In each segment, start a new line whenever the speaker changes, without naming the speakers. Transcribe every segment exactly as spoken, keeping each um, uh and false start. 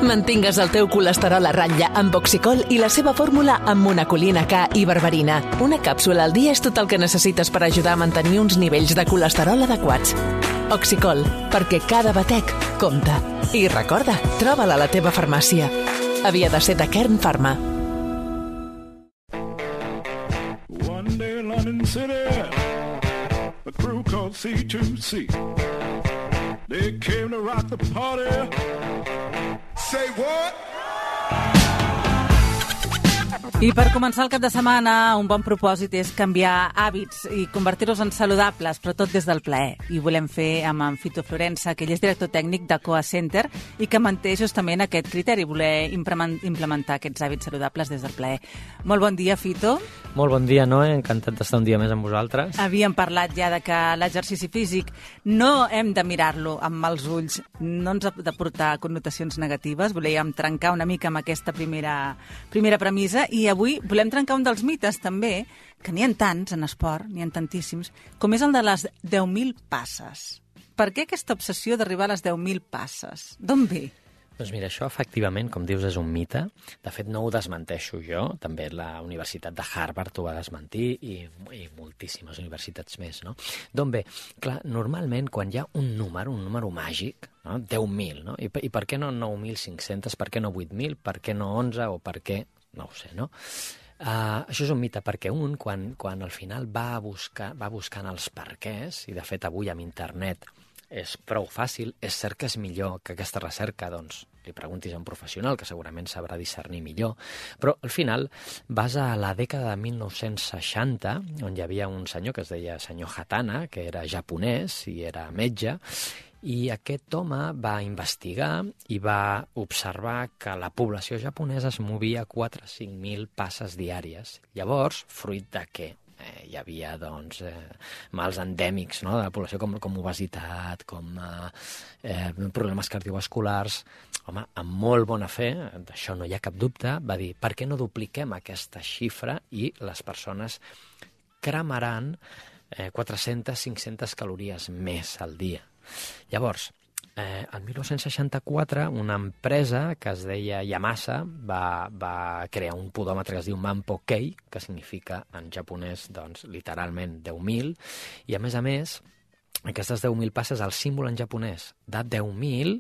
Mantingues el teu colesterol a ratlla amb Oxicol i la seva fórmula amb monacolina K i berberina. Una càpsula al dia és tot el que necessites per ajudar a mantenir uns nivells de colesterol adequats. Oxicol, perquè cada batec compta. I recorda, troba-la a la teva farmàcia. Havia de ser de Kern Pharma.
One day in London City, a crew called C two C. They came to rock the party. Say what?
I per començar el cap de setmana, un bon propòsit és canviar hàbits i convertir-los en saludables, però tot des del plaer. I ho volem fer amb en Fito Florensa, que ell és director tècnic de Coa Center i que manté justament aquest criteri, voler implementar aquests hàbits saludables des del plaer. Molt bon dia, Fito.
Molt bon dia, Noé. Encantat d'estar un dia més amb vosaltres.
Havíem parlat ja de que l'exercici físic no hem de mirar-lo amb mals ulls, no ens ha de portar connotacions negatives. Volíem trencar una mica amb aquesta primera, primera premissa i avui volem trencar un dels mites, també, que n'hi ha tants en esport, n'hi ha tantíssims, com és el de les deu mil passes. Per què aquesta obsessió d'arribar a les deu mil passes? D'on ve?
Doncs mira, això efectivament, com dius, és un mite. De fet, no ho desmenteixo jo. També la Universitat de Harvard ho va desmentir i, i moltíssimes universitats més, no? D'on ve? Clar, normalment, quan hi ha un número, un número màgic, no? deu mil, no? I, I per què no nou mil cinc-cents? Per què no vuit mil? Per què no onze? O per què... No ho sé, no? Uh, això és un mite perquè un, quan, quan al final va, buscar, va buscant els perquès, i de fet avui amb internet és prou fàcil, és cert que és millor que aquesta recerca, doncs, li preguntis a un professional que segurament sabrà discernir millor, però al final vas a la dècada de mil nou-cents seixanta, on hi havia un senyor que es deia senyor Hatana, que era japonès i era metge, i aquest home va investigar i va observar que la població japonesa es movia quatre a cinc mil passes diàries. Llavors, fruit de què? Eh, hi havia doncs, eh, mals endèmics, no? De la població, com, com obesitat, com eh, eh, problemes cardiovasculars. Home, amb molt bona fe, d'això no hi ha cap dubte, va dir, per què no dupliquem aquesta xifra i les persones cremaran eh, quatre-centes a cinc-centes calories més al dia. Llavors, eh, el mil nou-cents seixanta-quatre, una empresa que es deia Yamasa va, va crear un podòmetre que es diu Manpo-Kei, que significa en japonès, doncs, literalment deu mil, i a més a més, aquestes deu mil passes, el símbol en japonès de deu mil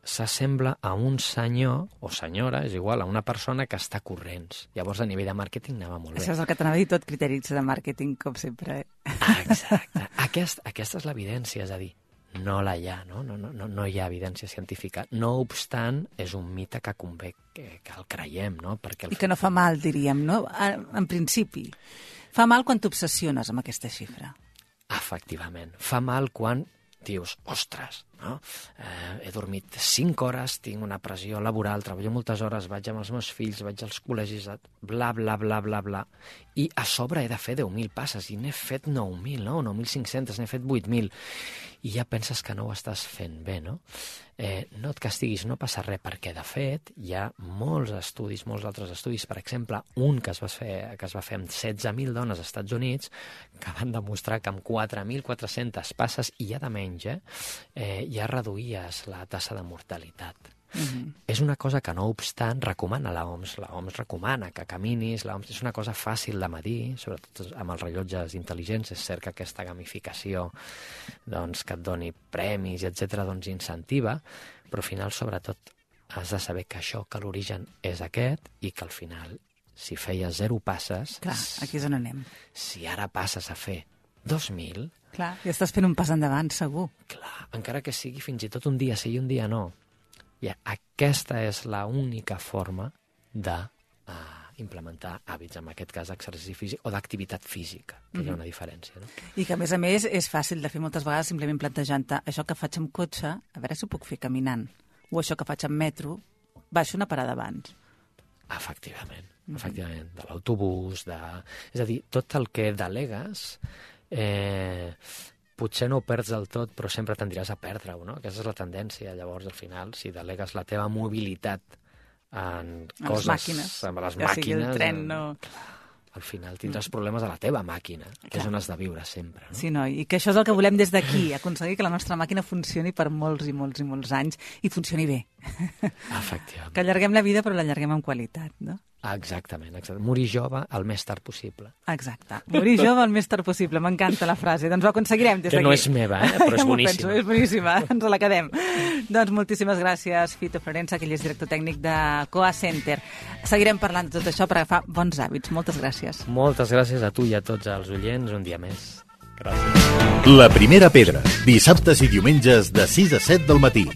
s'assembla a un senyor o senyora, és igual, a una persona que està corrents. Llavors, a nivell de màrqueting anava molt bé.
Això és el que t'anava a dir, tot criteris de màrqueting, com sempre.
Ah, exacte. Aquest, aquesta és l'evidència, és a dir, no la hi ha, no? No, no, no hi ha evidència científica. No obstant, és un mite que convé que, que el creiem, no? Perquè el...
I que no fa mal, diríem, no? En principi. Fa mal quan t'obsessiones amb aquesta xifra.
Efectivament. Fa mal quan dius, ostres, no? Eh, he dormit cinc hores, tinc una pressió laboral, treballo moltes hores, vaig amb els meus fills, vaig als col·legis, bla, bla, bla, bla, bla, i a sobre he de fer deu mil passes, i n'he fet nou mil, no? nou mil cinc-cents, n'he fet vuit mil, i ja penses que no ho estàs fent bé, no? Eh, no et castiguis, no passa res, perquè de fet hi ha molts estudis, molts altres estudis, per exemple, un que es va fer, que es va fer amb setze mil dones als Estats Units, que van demostrar que amb quatre mil quatre-centes passes, i ja de menys, eh, eh, ja reduïes la tassa de mortalitat. Uh-huh. És una cosa que, no obstant, recomana l'O M S. L'O M S recomana que caminis, l'O M S és una cosa fàcil de medir, sobretot amb els rellotges intel·ligents. És cert que aquesta gamificació, doncs, que et doni premis, etcètera, doncs incentiva, però al final, sobretot, has de saber que això, que l'origen és aquest, i que al final, si feies zero passes...
Clar, aquí és on anem.
Si ara passes a fer dos mil...
Clar, ja estàs fent un pas endavant, segur.
Clar, encara que sigui fins i tot un dia sí i un dia no. I aquesta és l'única forma de uh, implementar hàbits, en aquest cas d'exercici físic o d'activitat física, que mm-hmm. hi ha una diferència. No?
I que, a més a més, és fàcil de fer moltes vegades simplement plantejant-te això que faig amb cotxe, a veure si ho puc fer caminant, o això que faig amb metro, baixo una parada abans.
Efectivament, mm-hmm. efectivament, de l'autobús, de... és a dir, tot el que delegues... Eh, potser no ho perds del tot, però sempre tendiràs a perdre-ho, no? Aquesta és la tendència. Llavors, al final, si delegues la teva mobilitat en
a
coses...
les màquines.
Amb les
ja
màquines...
sigui el tren, no...
Al final tindràs problemes a la teva màquina, que
Clar.
és on has de viure sempre. No?
Sí, no? I que això és el que volem des d'aquí, aconseguir que la nostra màquina funcioni per molts i molts i molts anys i funcioni bé.
Efectivament.
Que allarguem la vida, però l'allarguem amb qualitat, no?
Exactament, exactament. Morir jove el més tard possible.
Exacte. Morir jove el més tard possible. M'encanta la frase. Doncs ho aconseguirem des d'aquí.
Que no és meva, eh? Però és
ja
boníssima.
Penso, és boníssima. Ens la quedem. Doncs moltíssimes gràcies, Fito Florensa, que ell és director tècnic de Coa Center. Seguirem parlant de tot això per agafar bons hàbits. Moltes gràcies.
Moltes gràcies a tu i a tots els oients un dia més. Gràcies.
La primera pedra, dissabtes i diumenges de sis a set del matí.